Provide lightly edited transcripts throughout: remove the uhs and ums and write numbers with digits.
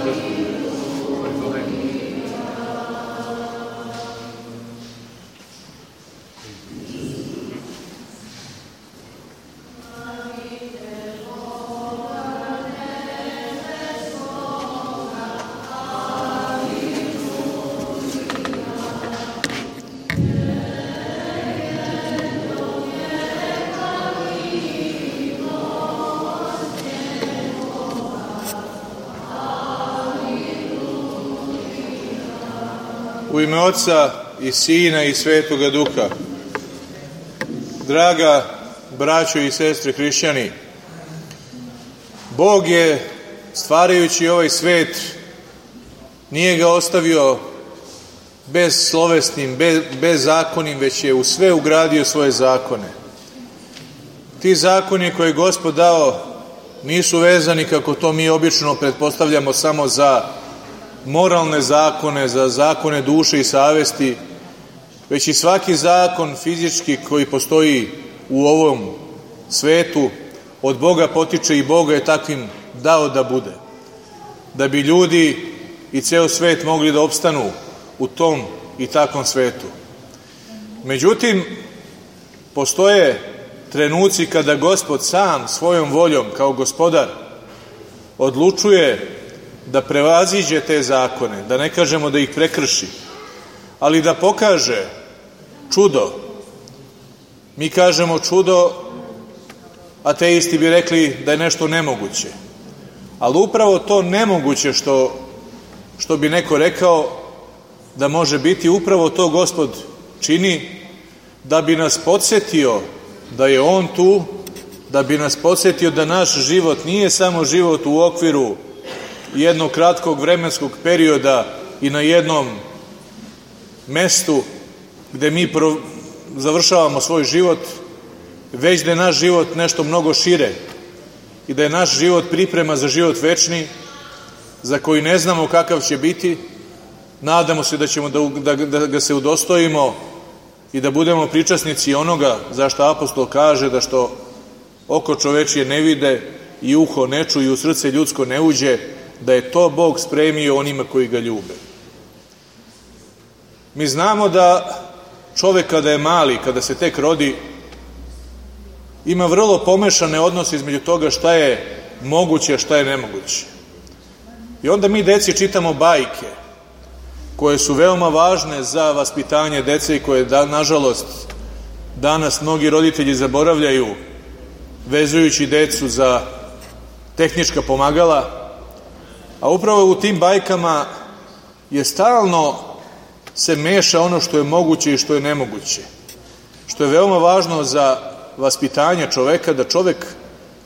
U ime Oca i Sina i Svetoga Duha. Draga braćo i sestre hrišćani, Bog je, stvarajući ovaj svet, nije ga ostavio bezslovesnim, bezzakonim, već je u sve ugradio svoje zakone. Ti zakoni koje je Gospod dao nisu vezani, kako to mi obično pretpostavljamo, samo za moralne zakone, za zakone duše i savesti, već i svaki zakon fizički koji postoji u ovom svetu od Boga potiče i Boga je takvim dao da bude, da bi ljudi i ceo svet mogli da opstanu u tom i takvom svetu. Međutim, postoje trenuci kada Gospod sam svojom voljom kao gospodar odlučuje da prevaziđe te zakone, da ne kažemo da ih prekrši, ali da pokaže čudo. Mi kažemo čudo, ateisti bi rekli da je nešto nemoguće. Ali upravo to nemoguće što bi neko rekao da može biti, upravo to Gospod čini da bi nas podsjetio da je On tu, da bi nas podsjetio da naš život nije samo život u okviru jednog kratkog vremenskog perioda i na jednom mestu gde mi završavamo svoj život, već da je naš život nešto mnogo šire i da je naš život priprema za život večni, za koji ne znamo kakav će biti. Nadamo se da ćemo da ga se udostojimo i da budemo pričasnici onoga za što apostol kaže da što oko čovečije ne vide i uho ne čuje i u srce ljudsko ne uđe, da je to Bog spremio onima koji ga ljube. Mi znamo da čovek kada je mali, kada se tek rodi, ima vrlo pomešane odnose između toga šta je moguće, a šta je nemoguće. I onda mi deci čitamo bajke koje su veoma važne za vaspitanje dece i koje, nažalost, danas mnogi roditelji zaboravljaju, vezujući decu za tehnička pomagala, a upravo u tim bajkama je stalno se meša ono što je moguće i što je nemoguće. Što je veoma važno za vaspitanje čoveka, da čovek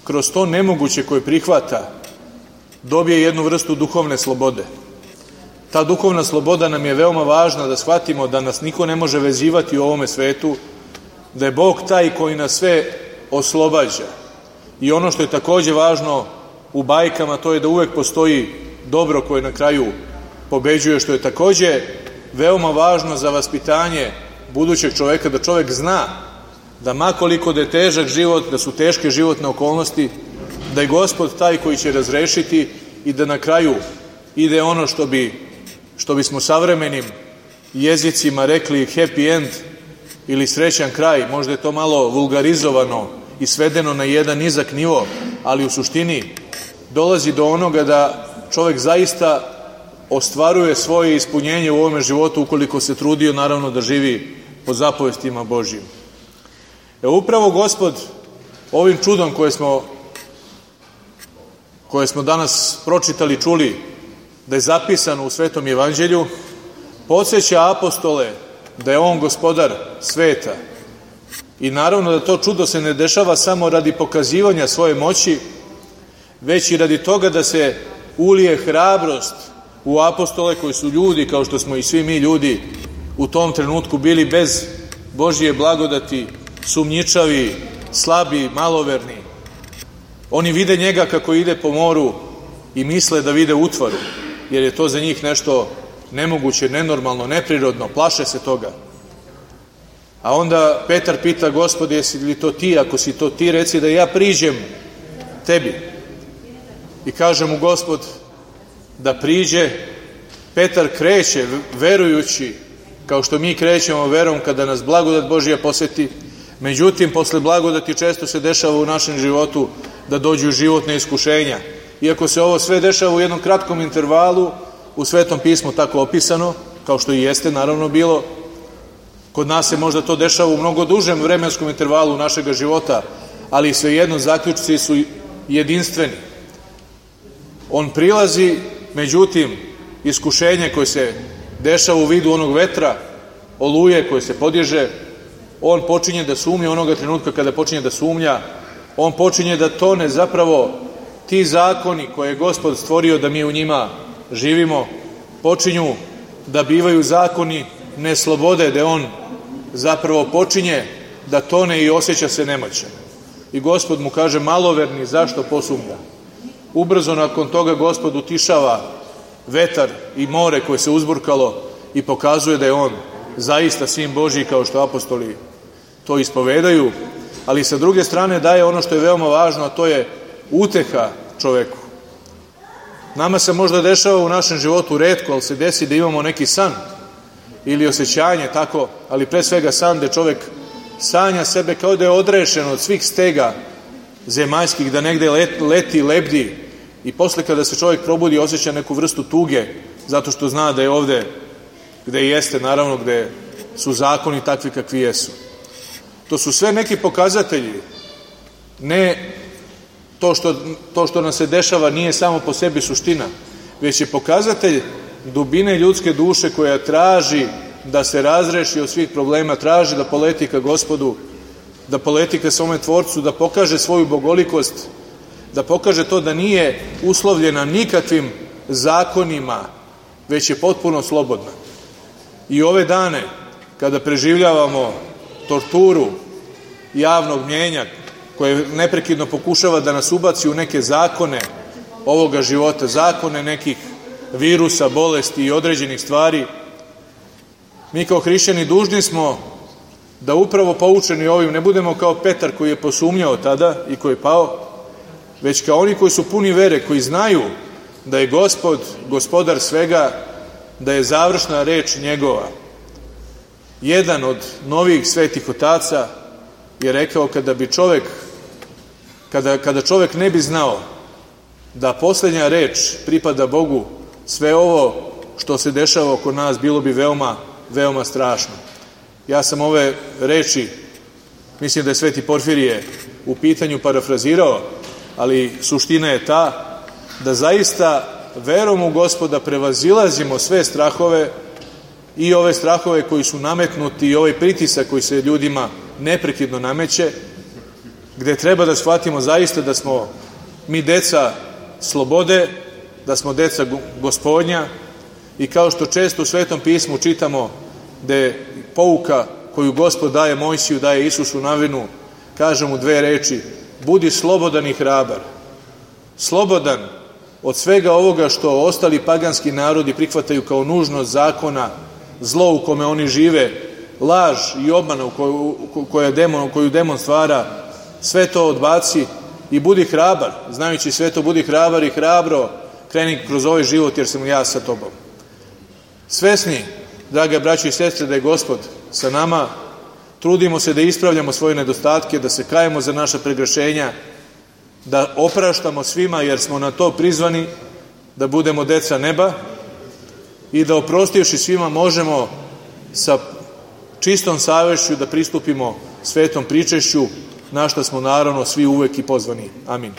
kroz to nemoguće koje prihvata dobije jednu vrstu duhovne slobode. Ta duhovna sloboda nam je veoma važna da shvatimo da nas niko ne može vezivati u ovome svetu, da je Bog taj koji nas sve oslobađa. I ono što je takođe važno u bajkama, to je da uvek postoji dobro koje na kraju pobeđuje, što je takođe veoma važno za vaspitanje budućeg čoveka, da čovek zna da makoliko da je težak život, da su teške životne okolnosti, da je Gospod taj koji će razrešiti i da na kraju ide ono što bismo savremenim jezicima rekli happy end ili srećan kraj. Možda je to malo vulgarizovano i svedeno na jedan nizak nivo, ali u suštini dolazi do onoga da čovek zaista ostvaruje svoje ispunjenje u ovome životu ukoliko se trudio, naravno, da živi po zapovestima Božjim. Upravo Gospod ovim čudom koje smo danas pročitali, čuli, da je zapisano u Svetom evanđelju, podsjeća apostole da je On gospodar sveta. I naravno da to čudo se ne dešava samo radi pokazivanja svoje moći, već i radi toga da se ulije hrabrost u apostole koji su ljudi, kao što smo i svi mi ljudi u tom trenutku bili bez Božje blagodati, sumnjičavi, slabi, maloverni. Oni vide njega kako ide po moru i misle da vide utvaru, jer je to za njih nešto nemoguće, nenormalno, neprirodno, plaše se toga. A onda Petar pita: Gospode, jesi li to ti? Ako si to ti, reci da ja priđem tebi. I kaže mu Gospod: da priđe. Petar kreće verujući, kao što mi krećemo verom kada nas blagodat Božja poseti. Međutim, posle blagodati često se dešava u našem životu da dođu životne iskušenja. Iako se ovo sve dešava u jednom kratkom intervalu, u Svetom pismu tako opisano, kao što i jeste naravno bilo, kod nas se možda to dešava u mnogo dužem vremenskom intervalu našega života, ali svejedno zaključci su jedinstveni. On prilazi, međutim, iskušenje koje se dešava u vidu onog vetra, oluje koje se podježe, on počinje da sumnja onoga trenutka kada počinje da sumnja, on počinje da tone, zapravo ti zakoni koje je Gospod stvorio da mi u njima živimo, počinju da bivaju zakoni neslobode, da on zapravo počinje da tone i osjeća se nemoćan. I Gospod mu kaže: maloverni, zašto posumnja? Ubrzo nakon toga Gospod utišava vetar i more koje se uzburkalo i pokazuje da je on zaista sin Božji, kao što apostoli to ispovedaju, ali sa druge strane daje ono što je veoma važno, a to je uteha čoveku. Nama se možda dešava u našem životu retko, ali se desi da imamo neki san ili osjećanje tako, ali pre svega san gde čovek sanja sebe kao da je odrešen od svih stega zemaljskih, da negde leti, lebdi, i posle kada se čovjek probudi osjeća neku vrstu tuge, zato što zna da je ovde gde jeste, naravno gde su zakoni takvi kakvi jesu. To su sve neki pokazatelji. Ne to što nam se dešava nije samo po sebi suština, već je pokazatelj dubine ljudske duše koja traži da se razreši od svih problema, traži da poleti ka Gospodu, da poleti ka svome Tvorcu, da pokaže svoju bogolikost, da pokaže to da nije uslovljena nikakvim zakonima, već je potpuno slobodna. I ove dane, kada preživljavamo torturu javnog mnjenja, koje neprekidno pokušava da nas ubaci u neke zakone ovoga života, zakone nekih virusa, bolesti i određenih stvari, mi kao hrišćani dužni smo da upravo poučeni ovim ne budemo kao Petar koji je posumnjao tada i koji je pao, već kao oni koji su puni vere, koji znaju da je Gospod gospodar svega, da je završna reč njegova. Jedan od novih svetih otaca je rekao kada čovek ne bi znao da posljednja reč pripada Bogu, sve ovo što se dešava oko nas bilo bi veoma, veoma strašno. Ja sam ove reči, mislim da je Sveti Porfirije u pitanju parafrazirao, ali suština je ta da zaista verom u Gospoda prevazilazimo sve strahove, i ove strahove koji su nametnuti i ovaj pritisak koji se ljudima neprekidno nameće, gde treba da shvatimo zaista da smo mi deca slobode, da smo deca Gospodnja, i kao što često u Svetom pismu čitamo da je pouka koju Gospod daje Mojsiju, daje Isusu Navinu, kaže mu dve reči: budi slobodan i hrabar. Slobodan od svega ovoga što ostali paganski narodi prihvataju kao nužnost zakona, zlo u kome oni žive, laž i obmana koju demon stvara, sve to odbaci i budi hrabar. Znajući sve to, budi hrabar i hrabro kreni kroz ovaj život, jer sam ja sa tobom. Svesni, draga braćo i sestre, da je Gospod sa nama, trudimo se da ispravljamo svoje nedostatke, da se kajemo za naša pregrešenja, da opraštamo svima, jer smo na to prizvani, da budemo deca neba, i da oprostivši svima možemo sa čistom savešću da pristupimo svetom pričešću, na što smo naravno svi uvek i pozvani. Amin.